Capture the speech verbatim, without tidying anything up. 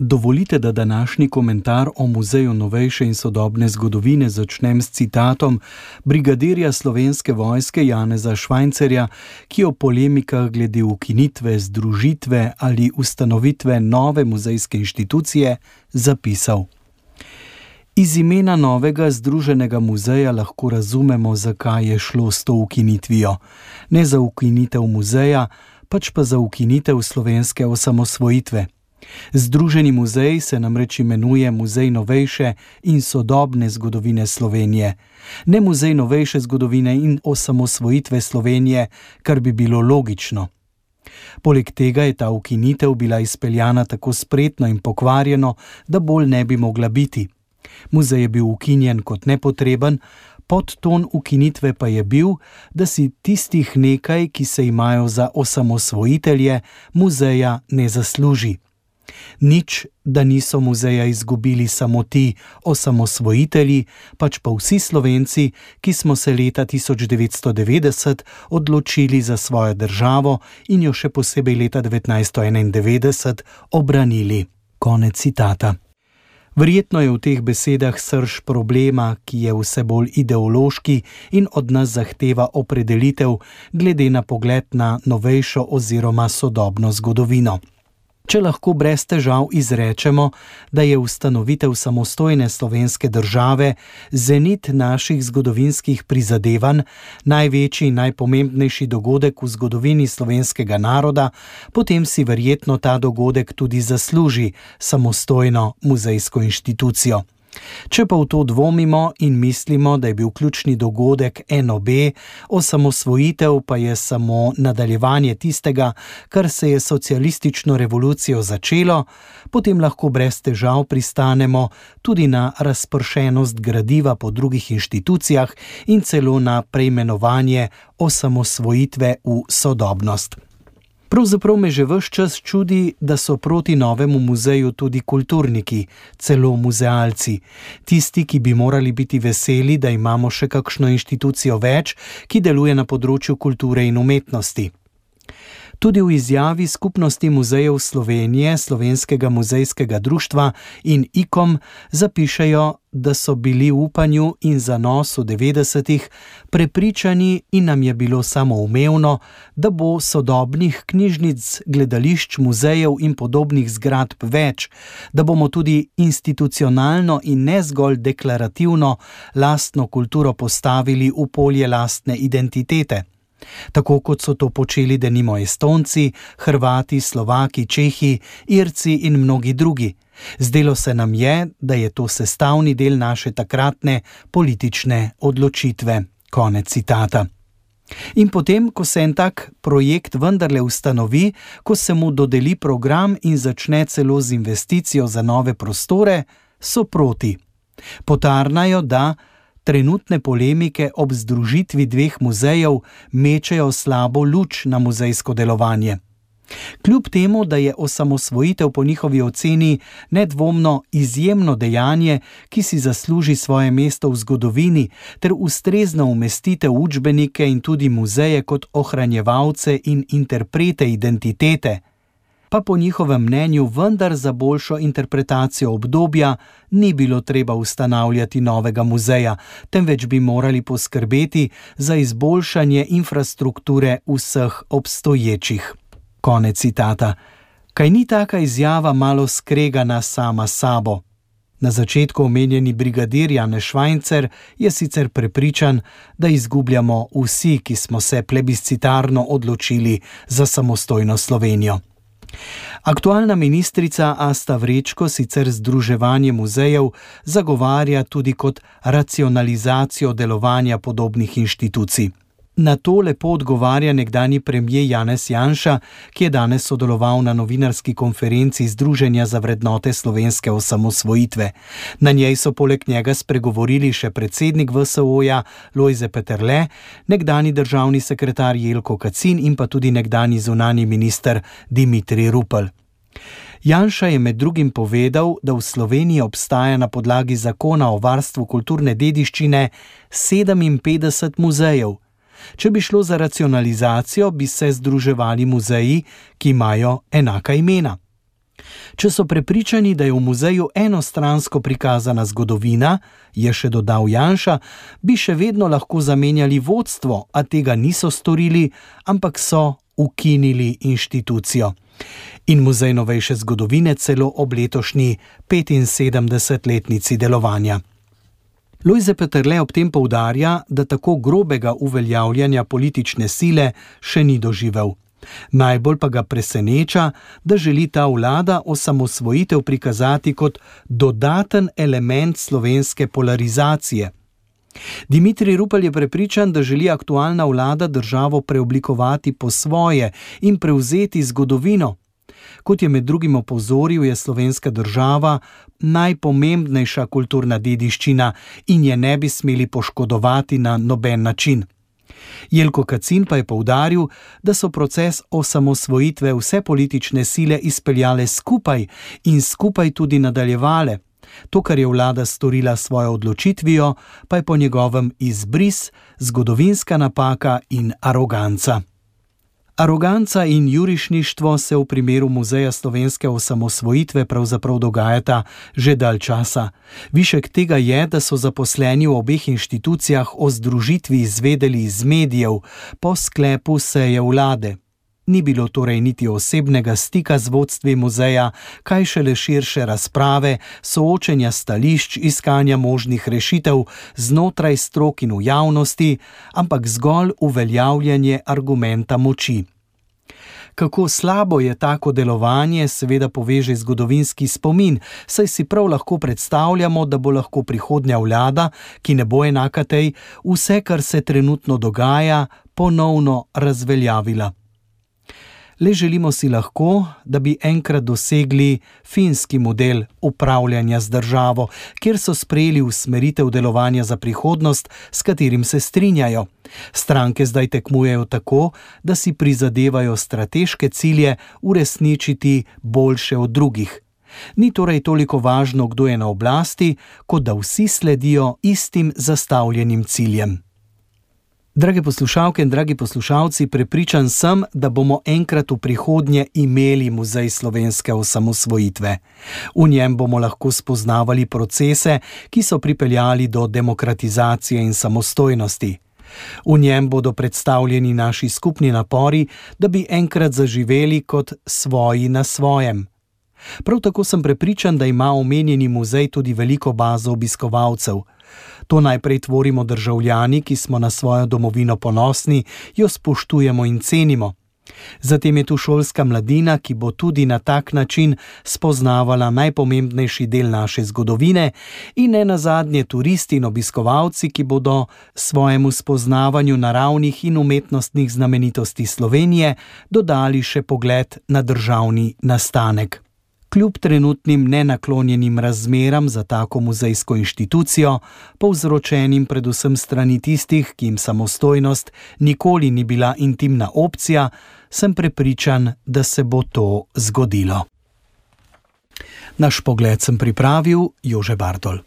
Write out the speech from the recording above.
Dovolite, da današnji komentar o Muzeju novejše in sodobne zgodovine začnem s citatom brigadirja Slovenske vojske Janeza Švajncerja, ki o polemikah glede ukinitve, združitve ali ustanovitve nove muzejske inštitucije zapisal: Iz imena novega združenega muzeja lahko razumemo, zakaj je šlo s to ukinitvijo. Ne za ukinitev muzeja, pač pa za ukinitev slovenske osamosvojitve. Združeni muzej se namreč imenuje Muzej novejše in sodobne zgodovine Slovenije, ne Muzej novejše zgodovine in osamosvojitve Slovenije, kar bi bilo logično. Poleg tega je ta ukinitev bila izpeljana tako spretno in pokvarjeno, da bolj ne bi mogla biti. Muzej je bil ukinjen kot nepotreben, podton ukinitve pa je bil, da si tistih nekaj, ki se imajo za osamosvojitelje, muzeja ne zasluži. Nič, da niso muzeja izgubili samo ti osamosvojitelji, pač pa vsi Slovenci, ki smo se leta tisoč devetsto devetdeset odločili za svojo državo in jo še posebej leta devetnajststo enaindevetdeset obranili. Konec citata. Verjetno je v teh besedah srž problema, ki je vse bolj ideološki in od nas zahteva opredelitev glede na pogled na novejšo oziroma sodobno zgodovino. Če lahko brez težav izrečemo, da je ustanovitev samostojne slovenske države zenit naših zgodovinskih prizadevanj, največji in najpomembnejši dogodek v zgodovini slovenskega naroda, potem si verjetno ta dogodek tudi zasluži samostojno muzejsko inštitucijo. Če pa v to dvomimo in mislimo, da je bil ključni dogodek N O B, osamosvojitev pa je samo nadaljevanje tistega, kar se je socialistično revolucijo začelo, potem lahko brez težav pristanemo tudi na razpršenost gradiva po drugih inštitucijah in celo na preimenovanje osamosvojitve v sodobnost. Pravzaprav me že ves čas čudi, da so proti novemu muzeju tudi kulturniki, celo muzealci, tisti, ki bi morali biti veseli, da imamo še kakšno inštitucijo več, ki deluje na področju kulture in umetnosti. Tudi v izjavi Skupnosti muzejev Slovenije, Slovenskega muzejskega društva in I K O M zapišejo, da so bili v upanju in zanosu devetdesetih prepričani in nam je bilo samoumevno, da bo sodobnih knjižnic, gledališč, muzejev in podobnih zgradb več, da bomo tudi institucionalno in ne zgolj deklarativno lastno kulturo postavili v polje lastne identitete. Tako kot so to počeli denimo Estonci, Hrvati, Slovaki, Čehi, Irci in mnogi drugi. Zdelo se nam je, da je to sestavni del naše takratne politične odločitve. Konec citata. In potem, ko se en tak projekt vendarle ustanovi, ko se mu dodeli program in začne celo z investicijo za nove prostore, so proti. Potarnajo, da trenutne polemike ob združitvi dveh muzejev mečejo slabo luč na muzejsko delovanje. Kljub temu, da je osamosvojitev po njihovi oceni nedvomno izjemno dejanje, ki si zasluži svoje mesto v zgodovini, ter ustrezno umestitev v učbenike in tudi muzeje kot ohranjevalce in interprete identitete, pa po njihovem mnenju vendar za boljšo interpretacijo obdobja ni bilo treba ustanavljati novega muzeja, temveč bi morali poskrbeti za izboljšanje infrastrukture vseh obstoječih. Konec citata. Kaj ni taka izjava malo skregana sama sabo? Na začetku omenjeni brigadir Janez Švajncer je sicer prepričan, da izgubljamo vsi, ki smo se plebiscitarno odločili za samostojno Slovenijo. Aktualna ministrica Asta Vrečko sicer združevanje muzejev zagovarja tudi kot racionalizacijo delovanja podobnih inštitucij. Na to lepo odgovarja nekdanji premier Janez Janša, ki je danes sodeloval na novinarski konferenci Združenja za vrednote slovenske osamosvojitve. Na njej so poleg njega spregovorili še predsednik V S O-ja Lojze Peterle, nekdanji državni sekretar Jelko Kacin in pa tudi nekdanji zunanji minister Dimitrij Rupel. Janša je med drugim povedal, da v Sloveniji obstaja na podlagi zakona o varstvu kulturne dediščine sedeminpetdeset muzejev. Če bi šlo za racionalizacijo, bi se združevali muzeji, ki imajo enaka imena. Če so prepričani, da je v muzeju enostransko prikazana zgodovina, je še dodal Janša, bi še vedno lahko zamenjali vodstvo, a tega niso storili, ampak so ukinili inštitucijo. In Muzej novejše zgodovine celo ob letošnji petinsedemdesetletnici delovanja. Lojze Peterle ob tem poudarja, da tako grobega uveljavljanja politične sile še ni doživel. Najbolj pa ga preseneča, da želi ta vlada osamosvojitev prikazati kot dodaten element slovenske polarizacije. Dimitrij Rupel je prepričan, da želi aktualna vlada državo preoblikovati po svoje in prevzeti zgodovino. Kot je med drugim opozoril, je slovenska država najpomembnejša kulturna dediščina in je ne bi smeli poškodovati na noben način. Jelko Kacin pa je poudaril, da so proces osamosvojitve vse politične sile izpeljale skupaj in skupaj tudi nadaljevale. To, kar je vlada storila s svojo odločitvijo, pa je po njegovem izbris, zgodovinska napaka in aroganca. Aroganca in jurišništvo se v primeru Muzeja slovenske osamosvojitve pravzaprav dogajata že dalj časa. Višek tega je, da so zaposleni v obeh inštitucijah o združitvi izvedeli iz medijev po sklepu seje vlade. Ni bilo torej niti osebnega stika z vodstvi muzeja, kaj šele širše razprave, soočenja stališč, iskanja možnih rešitev znotraj strok in v javnosti, ampak zgolj uveljavljanje argumenta moči. Kako slabo je tako delovanje, seveda poveže zgodovinski spomin, saj si prav lahko predstavljamo, da bo lahko prihodnja vlada, ki ne bo enaka tej, vse, kar se trenutno dogaja, ponovno razveljavila. Le želimo si lahko, da bi enkrat dosegli finski model upravljanja z državo, kjer so sprejeli usmeritev delovanja za prihodnost, s katerim se strinjajo. Stranke zdaj tekmujejo tako, da si prizadevajo strateške cilje uresničiti boljše od drugih. Ni torej toliko važno, kdo je na oblasti, kot da vsi sledijo istim zastavljenim ciljem. Drage poslušalke in dragi poslušalci, prepričan sem, da bomo enkrat v prihodnje imeli Muzej slovenske osamosvojitve. V njem bomo lahko spoznavali procese, ki so pripeljali do demokratizacije in samostojnosti. V njem bodo predstavljeni naši skupni napori, da bi enkrat zaživeli kot svoji na svojem. Prav tako sem prepričan, da ima omenjeni muzej tudi veliko bazo obiskovalcev. To najprej tvorimo državljani, ki smo na svojo domovino ponosni, jo spoštujemo in cenimo. Zatem je tu šolska mladina, ki bo tudi na tak način spoznavala najpomembnejši del naše zgodovine, in ne nazadnje turisti in obiskovalci, ki bodo svojemu spoznavanju naravnih in umetnostnih znamenitosti Slovenije dodali še pogled na državni nastanek. Kljub trenutnim nenaklonjenim razmeram za tako muzejsko inštitucijo, povzročenim predvsem strani tistih, ki jim samostojnost nikoli ni bila intimna opcija, sem prepričan, da se bo to zgodilo. Naš pogled sem pripravil Jože Bartol.